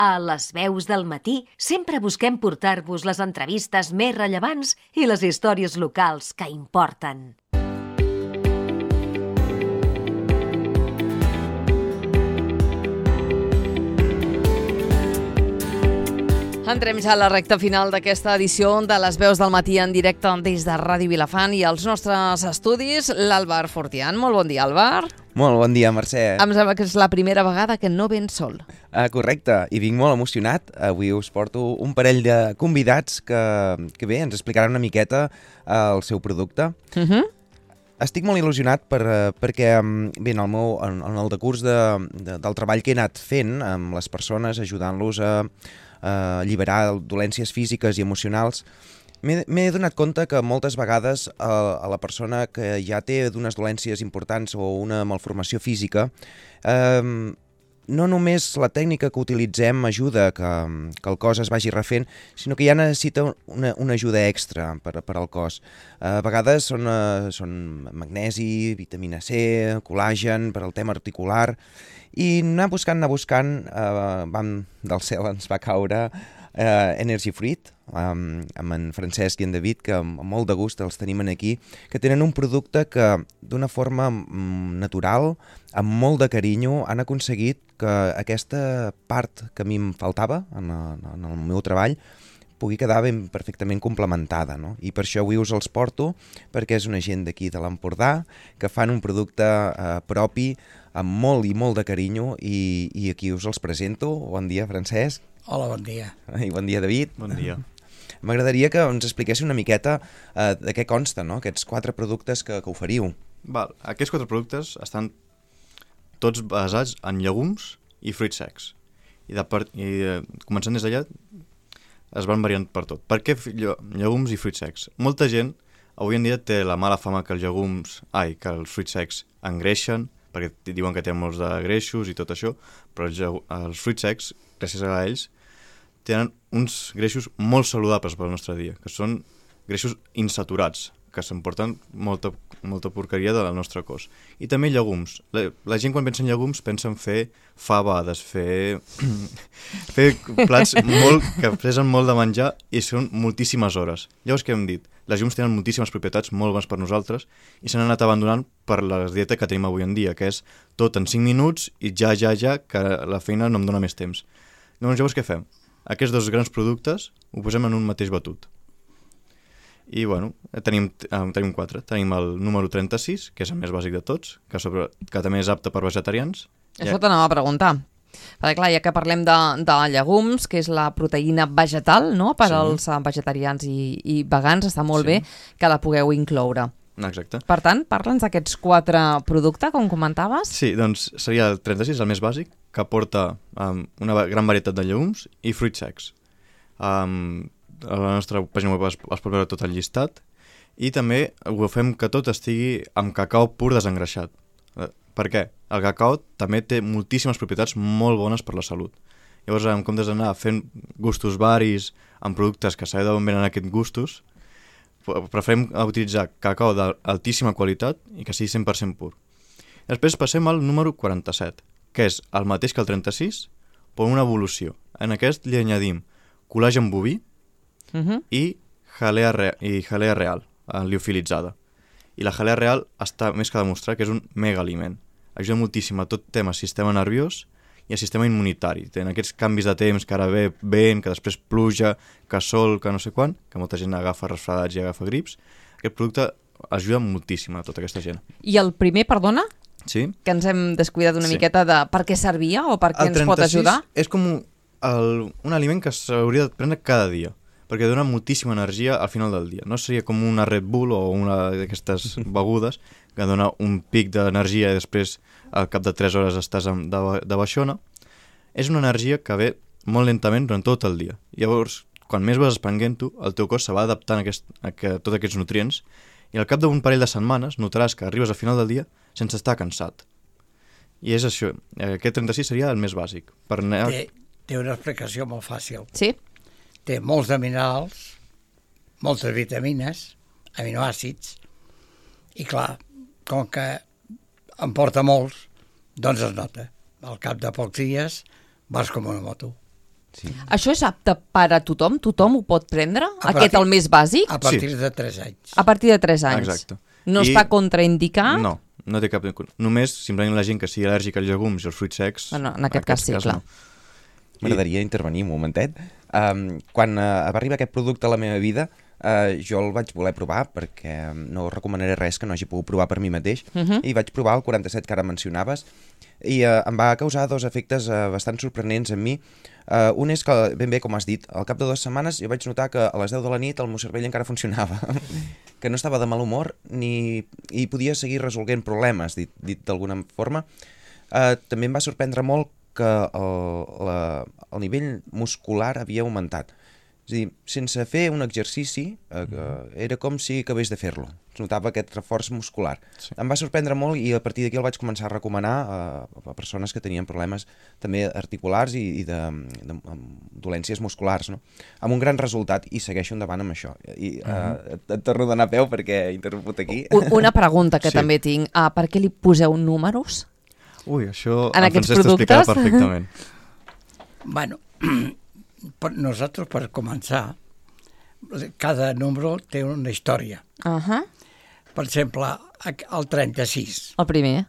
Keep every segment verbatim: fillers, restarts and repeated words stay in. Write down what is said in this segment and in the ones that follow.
A Les Veus del Matí sempre busquem portar-vos les entrevistes més rellevants i les històries locals que importen. Entrem ja a la recta final d'aquesta edició de Les Veus del Matí en directe des de Ràdio Vilafant i als nostres estudis, l'Àlvar Fortián. Molt bon dia, Àlvar. Molt bon dia, Mercè. Em sembla que és la primera vegada que no vens sol. Uh, correcte, i vinc molt emocionat. Avui us porto un parell de convidats que, que bé, ens explicaran una miqueta uh, el seu producte. Uh -huh. Estic molt il·lusionat per, uh, perquè bé, en, el meu, en, en el decurs de, de, del treball que he anat fent amb les persones, ajudant-los a, a alliberar dolències físiques i emocionals, m'he donat compte que moltes vegades a, a la persona que ja té d'unes dolències importants o una malformació física, eh, no només la tècnica que utilitzem ajuda que, que el cos es vagi refent, sinó que ja necessita una, una ajuda extra per, per al cos. A vegades són, uh, són magnesi, vitamina C, col·làgen per al tema articular, i anar buscant, anar buscant, uh, vam, del cel ens va caure uh, Energy Fruit, um, amb en Francesc i en David, que amb molt de gust els tenim aquí, que tenen un producte que d'una forma um, natural, amb molt de carinyo, han aconseguit que aquesta part que a mi em faltava en, en el meu treball pugui quedar ben perfectament complementada, no? I per això avui us els porto, perquè és una gent d'aquí de l'Empordà que fan un producte eh, propi, amb molt i molt de carinyo, i, i aquí us els presento. Bon dia, Francesc. Hola, bon dia. I bon dia, David. Bon dia. M'agradaria que ens expliquéssiu una miqueta eh, de què consta, no?, aquests quatre productes que, que oferiu. Val. Aquests quatre productes estan tots basats en llegums i fruits secs. I, de part, i eh, començant des d'allà, es van variant per tot. Per què llegums i fruits secs? Molta gent avui en dia té la mala fama que els llegums, ai, que els fruits secs engreixen, perquè diuen que tenen molts de greixos i tot això, però els, els fruits secs, gràcies a ells, tenen uns greixos molt saludables pel nostre dia, que són greixos insaturats, que s'emporten molta, molta porqueria del nostre cos. I també llegums. La, la gent quan pensa en llegums pensa en fer fabades, fer, fer plats molt, que pesen molt de menjar i són moltíssimes hores. Llavors, què hem dit? Les llegums tenen moltíssimes propietats molt bones per nosaltres i s'han anat abandonant per la dieta que tenim avui en dia, que és tot en cinc minuts i ja, ja, ja, que la feina no em dona més temps. Llavors, llavors què fem? Aquests dos grans productes ho posem en un mateix batut. I, bueno, tenim, eh, tenim quatre. Tenim el número trenta-sis, que és el més bàsic de tots, que, sobre, que també és apte per vegetarians. Això t'anava a preguntar. Perquè, clar, ja que parlem de, de llegums, que és la proteïna vegetal, no?, per sí. als vegetarians i, i vegans, està molt sí. bé que la pugueu incloure. Exacte. Per tant, parla'ns d'aquests quatre productes, com comentaves. Sí, doncs seria el trenta-sis, el més bàsic, que porta um, una gran varietat de llegums i fruits secs. Um, a la nostra pàgina web es, es pot veure tot el llistat, i també ho fem que tot estigui amb cacau pur desengreixat. Per què? El cacau també té moltíssimes propietats molt bones per la salut. Llavors, en comptes d'anar fent gustos varis amb productes que sabeu d'on venen aquests gustos, preferim utilitzar cacau d'altíssima qualitat i que sigui cent per cent pur. Després passem al número quaranta-set, que és el mateix que el trenta-sis, però una evolució. En aquest li añadim col·làgen boví uh-huh. i jalea, re i jalea real, liofilitzada. I la jalea real està més que demostrat que és un mega aliment. Ajuda moltíssim a tot tema sistema nerviós i al sistema immunitari. Tenen aquests canvis de temps, que ara ve vent, que després pluja, que sol, que no sé quan, que molta gent agafa resfredats i agafa grips. Aquest producte ajuda moltíssim a tota aquesta gent. I el primer, perdona? Sí. Que ens hem descuidat una sí. miqueta de per què servia o per què ens pot ajudar? És com un, el, un aliment que s'hauria de prendre cada dia, perquè dona moltíssima energia al final del dia. No seria com una Red Bull o una d'aquestes begudes que dona un pic d'energia i després al cap de tres hores estàs de, de baixona. És una energia que ve molt lentament durant tot el dia. Llavors, quan més vas esprenguent-ho, el teu cos se va adaptant a, aquest, a, a tots aquests nutrients i al cap d'un parell de setmanes notaràs que arribes al final del dia sense estar cansat. I és això. Aquest trenta-sis seria el més bàsic. Per anar... té, té una explicació molt fàcil. Sí? Té molts de minerals, moltes vitamines, aminoàcids, i clar, com que en porta molts, doncs es nota. Al cap de pocs dies vas com una moto. Sí. Això és apte per a tothom? Tothom ho pot prendre? A Aquest, partir- el més bàsic? A partir de tres anys. A partir de tres anys? Exacte. No I- està contraindicat? No, no té cap... Només, simplement la gent que sigui al·lèrgica als llegums i als fruits secs... Bueno, en aquest cas sí, clar. M'agradaria intervenir un momentet. Um, quan uh, va arribar aquest producte a la meva vida, uh, jo el vaig voler provar perquè no recomanaré res que no hagi pogut provar per mi mateix, Uh -huh. i vaig provar el quaranta-set que ara mencionaves, i uh, em va causar dos efectes uh, bastant sorprenents en mi. Uh, un és que, ben bé, com has dit, al cap de dues setmanes jo vaig notar que a les deu de la nit el meu cervell encara funcionava, que no estava de mal humor ni i podia seguir resolent problemes, dit, dit d'alguna forma. Uh, també em va sorprendre molt que el, la, el nivell muscular havia augmentat. És a dir, sense fer un exercici, eh, era com si acabés de fer-lo. Es notava aquest reforç muscular. Sí. Em va sorprendre molt i a partir d'aquí el vaig començar a recomanar a, a persones que tenien problemes també articulars i, i de, de, de dolències musculars, no? Amb un gran resultat, i segueixo endavant amb això. I uh, et, et torno a donar peu perquè he interromput aquí. U- Una pregunta que Sí. també tinc. Uh, per què li poseu números? Ui, això En el aquests Francesc t'explicarà productes? perfectament. Bueno, per nosaltres, per començar, cada número té una història. Uh -huh. Per exemple, el trenta-sis, El primer,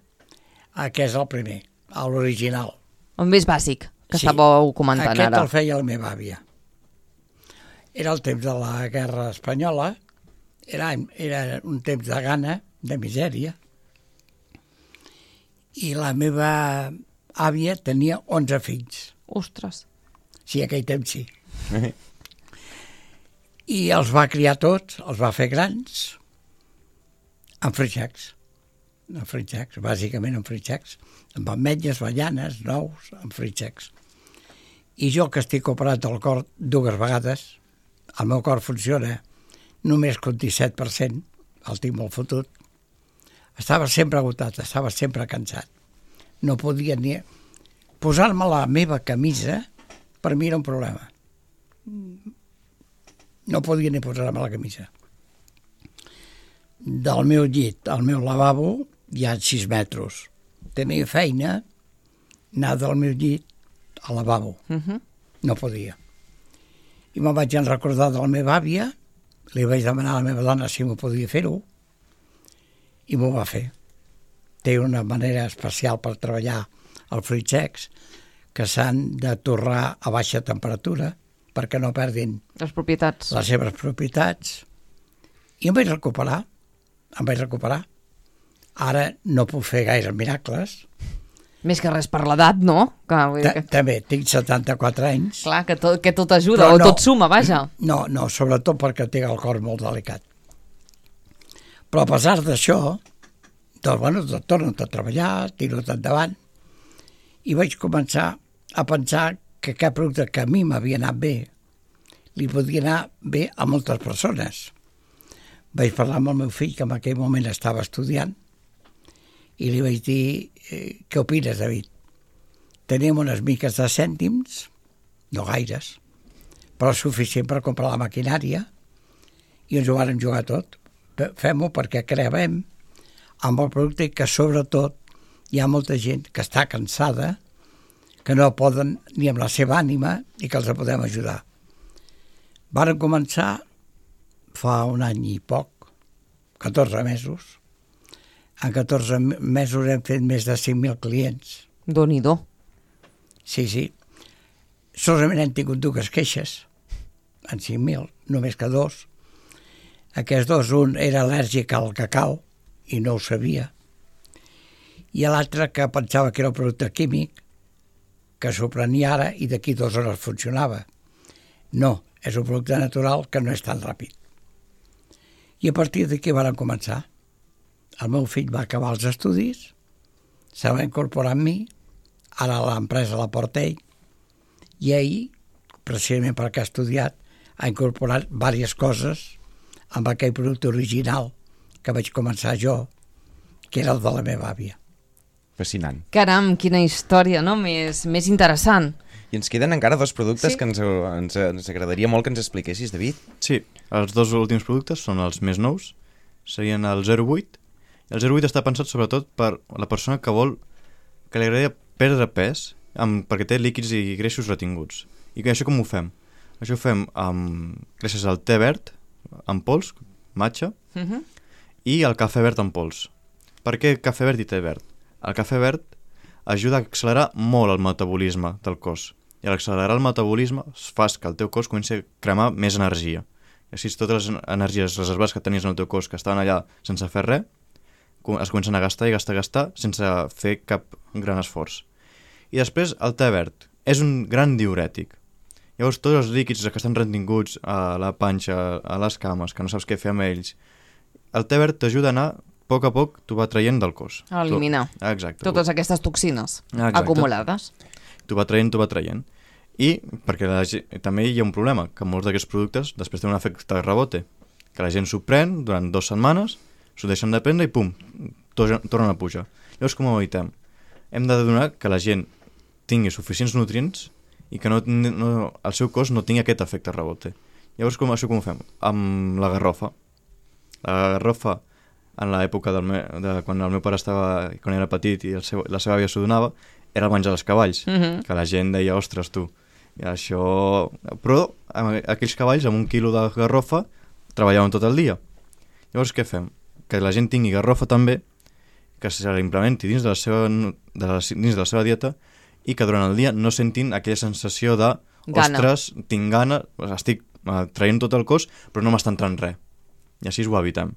aquest és el primer, l'original. el més bàsic, que Sí. estàveu comentant Aquest ara. el feia la meva àvia. Era el temps de la guerra espanyola, era, era un temps de gana, de misèria, i la meva àvia tenia onze fills. Ostres. Sí, aquell temps sí. I els va criar tots, els va fer grans, amb fritxacs. Amb fritxacs, bàsicament amb fritxacs. Amb ametlles, avellanes, nous, amb fritxacs. I jo, que estic operat al cor dues vegades, el meu cor funciona només que un disset per cent, el tinc molt fotut, estava sempre agotat, estava sempre cansat. No podia ni... Posar-me la meva camisa, per mi era un problema. No podia ni posar-me la camisa. Del meu llit al meu lavabo hi ha sis metres. Tenia feina anar del meu llit al lavabo. Uh -huh. No podia. I me'n vaig recordar de la meva àvia, li vaig demanar a la meva dona si m'ho podia fer-ho, i m'ho va fer. Té una manera especial per treballar els fruits secs, que s'han de torrar a baixa temperatura perquè no perdin Les propietats. les seves propietats. I em vaig recuperar, em vaig recuperar. Ara no puc fer gaire miracles. Més que res per l'edat, no? Que, vull dir Ta- que... També tinc setanta-quatre anys. Clar, que tot, que tot ajuda, Però o no. tot suma, vaja. No, no, sobretot perquè tinc el cor molt delicat. Però a pesar d'això, doncs, bueno, doncs, torno a treballar, tiro endavant, i vaig començar a pensar que aquest producte que a mi m'havia anat bé, li podia anar bé a moltes persones. Vaig parlar amb el meu fill, que en aquell moment estava estudiant, i li vaig dir, eh, què opines, David? Tenim unes miques de cèntims, no gaires, però suficient per comprar la maquinària, i ens ho vàrem jugar tot. Fem-ho perquè creiem amb el producte, que sobretot hi ha molta gent que està cansada, que no poden ni amb la seva ànima, i que els podem ajudar. Varen començar fa un any i poc, catorze mesos. En catorze mesos hem fet més de cinc mil clients. Déu-n'hi-do. Sí, sí. Solament hem tingut dues queixes, en cinc mil, només que dos. Aquests dos, un era al·lèrgic al cacau, i no ho sabia, i l'altre que pensava que era un producte químic, que s'ho prenia ara i d'aquí dues hores funcionava. No, és un producte natural que no és tan ràpid. I a partir d'aquí van començar. El meu fill va acabar els estudis, se va incorporar amb mi, ara l'empresa la porta ell, i ell, precisament perquè ha estudiat, ha incorporat diverses coses amb aquell producte original que vaig començar jo, que era el de la meva àvia. Fascinant. Caram, quina història, no? Més, més interessant. I ens queden encara dos productes Sí. que ens, ens, ens agradaria molt que ens expliquessis, David. Sí, els dos últims productes són els més nous, serien el zero vuit. El zero vuit està pensat sobretot per la persona que vol, que li agradaria perdre pes amb, perquè té líquids i greixos retinguts. I això com ho fem? Això ho fem amb, gràcies al te verd en pols, matxa, Uh-huh. i el cafè verd en pols. Per què cafè verd i te verd? El cafè verd ajuda a accelerar molt el metabolisme del cos. I al accelerar el metabolisme fa que el teu cos comenci a cremar més energia. I així totes les energies reservades que tenies en el teu cos que estaven allà sense fer res, es comencen a gastar i gastar i gastar sense fer cap gran esforç. I després el te verd és un gran diürètic. Llavors tots els líquids que estan retinguts a la panxa, a les cames, que no saps què fer amb ells, el te verd t'ajuda a anar a poc a poc, t'ho va traient del cos. A eliminar. Tu... Exacte. Totes aquestes toxines Exacte. acumulades. T'ho va traient, t'ho va traient. I perquè la, també hi ha un problema, que molts d'aquests productes després tenen un efecte de rebote, que la gent s'ho pren durant dues setmanes, s'ho deixen de prendre i pum, tornen a pujar. Llavors com ho evitem? Hem de donar que la gent tingui suficients nutrients i que no, no, el seu cos no tingui aquest efecte rebote. Llavors com, això com ho fem? Amb la garrofa. La garrofa, en l'època del me, de quan el meu pare estava, quan era petit i el seu, la seva àvia s'ho donava, era el menjar dels cavalls, Uh-huh. que la gent deia, ostres, tu, i això... Però aquells cavalls amb un quilo de garrofa treballaven tot el dia. Llavors què fem? Que la gent tingui garrofa també, que se l'implementi dins de la seva, de la, dins de la seva dieta i que durant el dia no sentin aquella sensació de Gana. ostres, tinc gana, estic eh, traient tot el cos, però no m'està entrant res. I així ho evitem.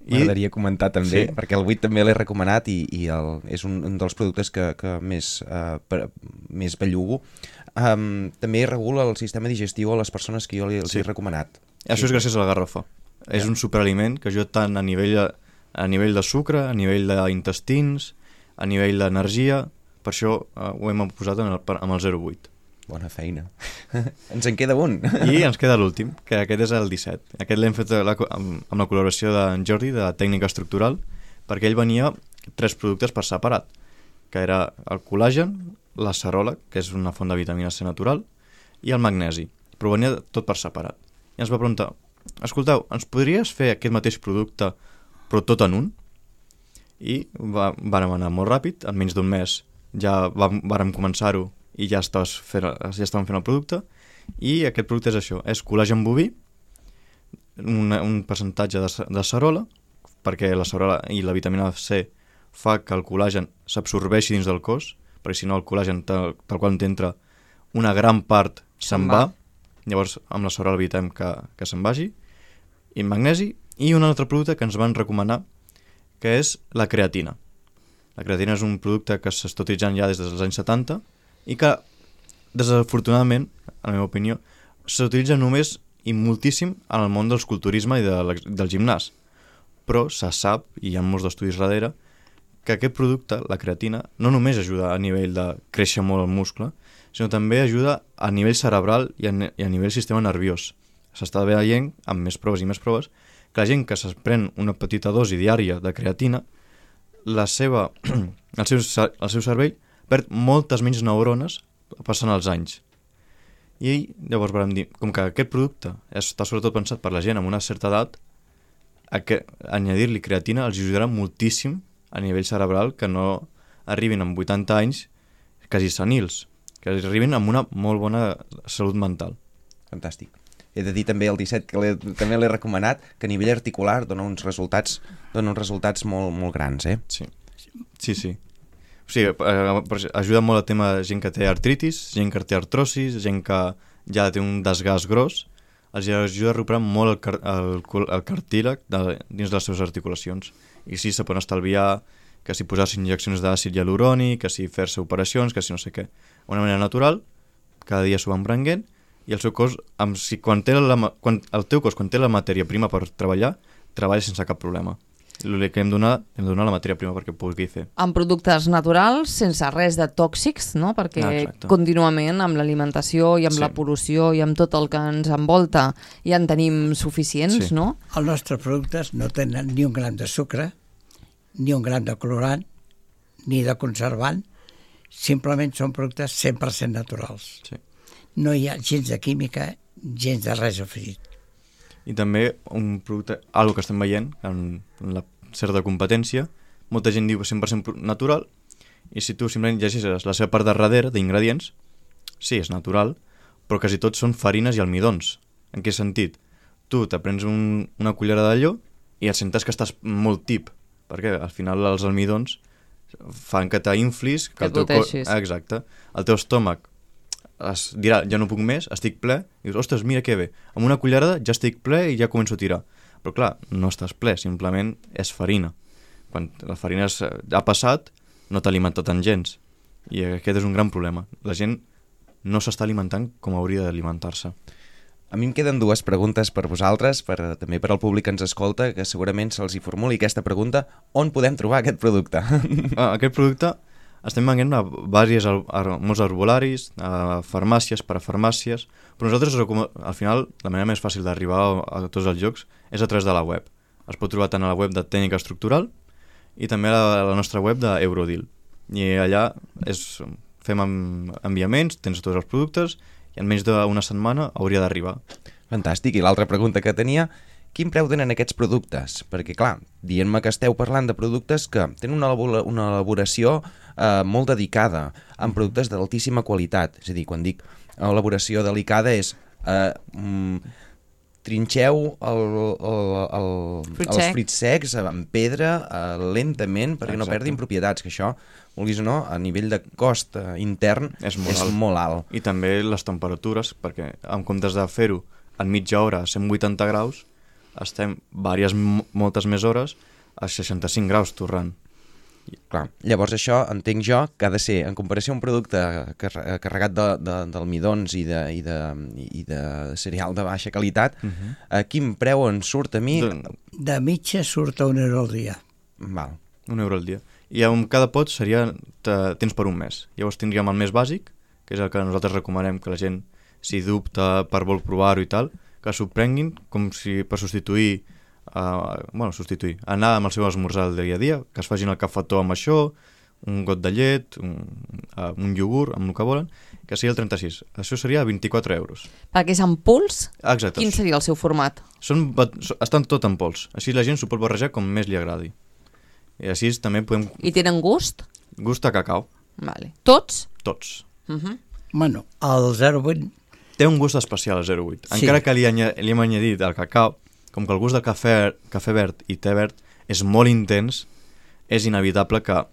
M'agradaria comentar també, Sí. perquè el buit també l'he recomanat i, i el, és un, un dels productes que, que més, uh, per, més bellugo. Um, també regula el sistema digestiu a les persones que jo li, els Sí. he recomanat. Això és gràcies a la garrofa. És un superaliment que ajuda tant a nivell de, a nivell de sucre, a nivell d'intestins, a nivell d'energia. Per això uh, ho hem posat en el, amb el zero coma vuit. Bona feina. Ens en queda un. I ens queda l'últim, que aquest és el disset. Aquest l'hem fet la, amb, amb la col·laboració d'en Jordi, de Tècnica Estructural, perquè ell venia tres productes per separat, que era el col·làgen, l'acerola, que és una font de vitamina C natural, i el magnesi, però venia tot per separat. I ens va preguntar, escolteu, ens podries fer aquest mateix producte, però tot en un? I va, vàrem anar molt ràpid, en menys d'un mes ja vam, vàrem començar-ho i ja, fent, ja estàvem fent el producte, i aquest producte és això, és col·làgen boví, un, un percentatge de, de cerola, perquè la cerola i la vitamina C fa que el col·làgen s'absorbeixi dins del cos, perquè si no el col·làgen tal, tal qual t'entra una gran part se'n va. va, llavors amb la cerola evitem que, que se'n vagi, i magnesi, i un altre producte que ens van recomanar, que és la creatina. La creatina és un producte que s'està utilitzant ja des dels anys setanta, i que, desafortunadament, en la meva opinió, s'utilitza només i moltíssim en el món del culturisme i de, del gimnàs. Però se sap, i hi ha molts d'estudis darrere, que aquest producte, la creatina, no només ajuda a nivell de créixer molt el muscle, sinó també ajuda a nivell cerebral i a, i a nivell sistema nerviós. S'està veient, amb més proves i més proves, que la gent que es pren una petita dosi diària de creatina, la seva, el, seu, el seu cervell perd moltes menys neurones passant els anys. I llavors vam dir, com que aquest producte està sobretot pensat per la gent amb una certa edat, añadir-li creatina els ajudarà moltíssim a nivell cerebral, que no arribin amb vuitanta anys quasi senils, que arribin amb una molt bona salut mental. Fantàstic. He de dir també el disset, que també l'he recomanat, que a nivell articular dona uns resultats, dona uns resultats molt, molt grans, eh? Sí, sí, sí. O sigui, ajuda molt el tema de gent que té artritis, gent que té artrosis, gent que ja té un desgast gros, els ajuda a recuperar molt el, car el, el cartílag de, dins de les seves articulacions. I sí, se poden estalviar que si posar-se injeccions d'àcid hialurònic, que si fer-se operacions, que si no sé què. Una manera natural, cada dia s'ho van prenguent, i el seu cos, amb, si, quan té la, quan, el teu cos, quan té la matèria prima per treballar, treballa sense cap problema. El que hem de donar, hem de donar la matèria prima perquè pugui fer. Amb productes naturals, sense res de tòxics, no? Perquè Exacte. Contínuament amb l'alimentació i amb Sí. la pol·lució i amb tot el que ens envolta ja en tenim suficients, Sí. no? Els nostres productes no tenen ni un gram de sucre, ni un gram de colorant, ni de conservant, simplement són productes cent per cent naturals. Sí. No hi ha gens de química, gens de res afegit. I també un producte, algo que estem veient en la certa competència, molta gent diu cent per cent natural, i si tu simplement llegeixes la seva part de darrere d'ingredients, sí, és natural, però quasi tots són farines i almidons. En què sentit? Tu te prens un, una cullera d'allò i et sentes que estàs molt tip, perquè al final els almidons fan que t'inflis, que, Que el teu cor... goteixis. Exacte. El teu estómac es dirà, ja no puc més, estic ple, i dius, ostres, mira que bé, amb una cullerada ja estic ple i ja començo a tirar. Però clar, no estàs ple, simplement és farina. Quan la farina es, ha passat, no t'ha alimentat tant gens. I aquest és un gran problema. La gent no s'està alimentant com hauria d'alimentar-se. A mi em queden dues preguntes per vosaltres, per, també per al públic que ens escolta, que segurament se'ls hi formuli aquesta pregunta: on podem trobar aquest producte? Ah, aquest producte estem venent a, vàries, a, a molts arbolaris, a farmàcies, parafarmàcies, però nosaltres al final la manera més fàcil d'arribar a, a tots els llocs és a través de la web. Es pot trobar tant a la web de Tècnica Estructural i també a la, a la nostra web d'Eurodeal. I allà és, fem enviaments, tens tots els productes i en menys d'una setmana hauria d'arribar. Fantàstic. I l'altra pregunta que tenia: quin preu tenen aquests productes? Perquè, clar, dient-me que esteu parlant de productes que tenen una, una elaboració eh, molt dedicada, amb productes d'altíssima qualitat. És a dir, quan dic elaboració delicada és eh, mm, trinxeu el, el, el, Fruit els sec. fruits secs amb pedra eh, lentament perquè no Exacte. perdin propietats, que això, vulguis o no, a nivell de cost eh, intern És molt és alt. molt alt. I també les temperatures, perquè en comptes de fer-ho en mitja hora a cent vuitanta graus, estem diverses, moltes més hores a seixanta-cinc graus torrant. Clar. Llavors això entenc jo que ha de ser, en comparació a un producte car carregat d'almidons i, de, i, de, i de cereal de baixa qualitat, uh -huh. a quin preu en surt a mi? De, De mitja surt a un euro al dia. Val. un euro al dia. I amb cada pot seria te, tens per un mes. Llavors tindríem el més bàsic, que és el que nosaltres recomanem que la gent, si dubta per vol provar-ho i tal, que s'ho prenguin com si per substituir Uh, bueno, substituir, anar amb el seu esmorzar del dia a dia, que es facin el cafetó amb això, un got de llet, un, uh, un iogurt, amb el que volen, que seria el trenta-sis. Això seria vint-i-quatre euros. Perquè és en pols, Exacte. quin seria el seu format? Són, estan tot en pols. Així la gent s'ho pot barrejar com més li agradi. I així també podem... I tenen gust? Gust a cacau. Vale. Tots? Tots. Uh -huh. Bueno, el zero coma vuit... Té un gust especial el zero coma vuit. Sí. Encara que li, li hem añadit el cacau, com que el gust del cafè, cafè verd i té verd és molt intens, és inevitable que,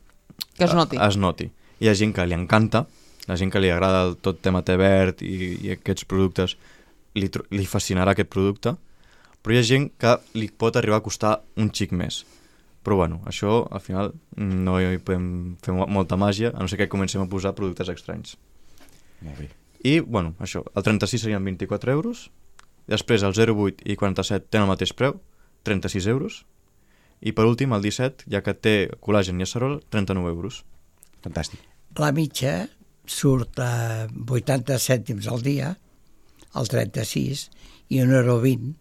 Que es noti. es noti. Hi ha gent que li encanta, la gent que li agrada el tot tema té verd i, i aquests productes, li, li fascinarà aquest producte, però hi ha gent que li pot arribar a costar un xic més. Però bueno, això al final no hi podem fer molta màgia, a no ser que comencem a posar productes estranys. Molt bé. I, bueno, això, el trenta-sis serien vint-i-quatre euros, després el zero coma vuit i quaranta-set tenen el mateix preu, trenta-sis euros, i per últim el disset, ja que té col·làgen i acerol, trenta-nou euros. Fantàstic. La mitja surt a vuitanta cèntims al dia, el trenta-sis, i un euro vint,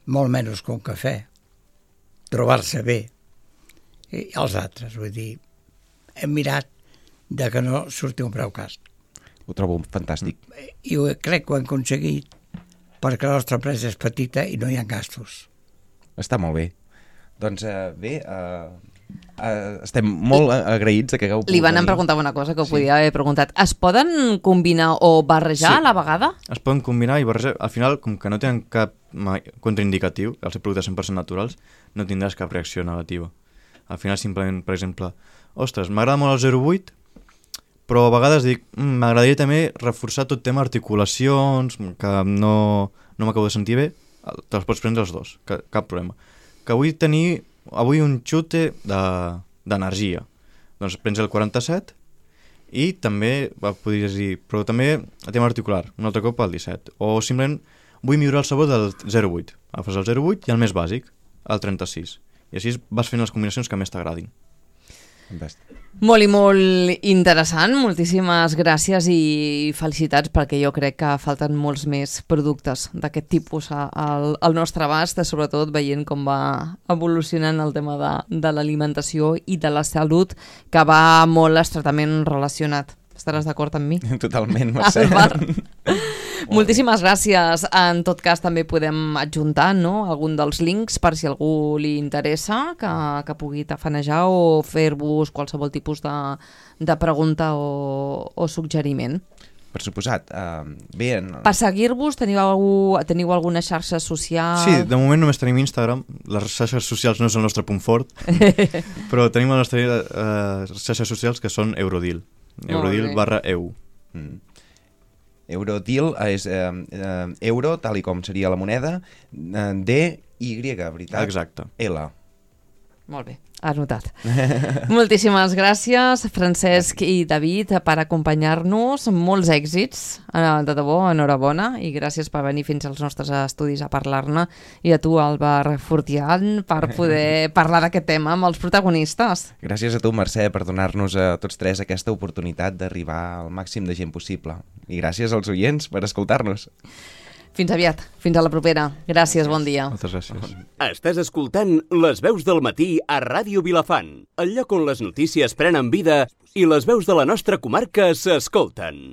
molt menys que un cafè. Trobar-se bé. I els altres, vull dir, hem mirat de que no surti un preu cas. Ho trobo fantàstic. I ho, crec que ho hem aconseguit perquè la nostra empresa és petita i no hi ha gastos. Està molt bé. Doncs uh, bé, uh, uh, estem molt agraïts de que hagueu pogut Li van venir. preguntar una cosa que ho Sí. podia haver preguntat. Es poden combinar o barrejar Sí. a la vegada? Es poden combinar i barrejar. Al final, com que no tenen cap contraindicatiu, els productes cent per cent naturals, no tindràs cap reacció negativa. Al final, simplement, per exemple, ostres, m'agrada molt el zero coma vuit, però a vegades dic, mm, m'agradaria també reforçar tot tema articulacions, que no, no m'acabo de sentir bé, te'ls pots prendre els dos, que, cap problema. Que vull tenir avui un xute d'energia, de, doncs prens el quaranta-set i també, va, podries dir, però també el tema articular, un altre cop el disset, o simplement vull millorar el sabor del zero coma vuit, agafes el zero coma vuit i el més bàsic, el trenta-sis, i així vas fent les combinacions que més t'agradin. Fantàstic. Molt i molt interessant, moltíssimes gràcies i felicitats perquè jo crec que falten molts més productes d'aquest tipus al, al nostre abast, sobretot veient com va evolucionant el tema de, de l'alimentació i de la salut, que va molt estretament relacionat. Estaràs d'acord amb mi? Totalment, Mercè. Moltíssimes gràcies. En tot cas també podem adjuntar, no?, algun dels links per si algú li interessa que, que pugui tafanejar o fer-vos qualsevol tipus de, de pregunta o, o suggeriment. per suposat. Uh, bé, en... Per seguir-vos, teniu, teniu alguna xarxa social? Sí, de moment només tenim Instagram. Les xarxes socials no és el nostre punt fort, però tenim les nostres uh, xarxes socials que són Eurodeal. Eurodeal barra E U. Mm. Eurodeal és eh, eh, euro, tal i com seria la moneda, eh, D, Y, veritat? Exacte. L. Molt bé, anotat. Moltíssimes gràcies, Francesc i David, per acompanyar-nos. Molts èxits, de debò, enhorabona, i gràcies per venir fins als nostres estudis a parlar-ne. I a tu, Albert Fortián, per poder parlar d'aquest tema amb els protagonistes. Gràcies a tu, Mercè, per donar-nos a tots tres aquesta oportunitat d'arribar al màxim de gent possible. I gràcies als oients per escoltar-nos. Fins aviat, fins a la propera. Gràcies, bon dia. Moltes gràcies. Estàs escoltant Les Veus del Matí a Ràdio Vilafant, el lloc on les notícies prenen vida i les veus de la nostra comarca s'escolten.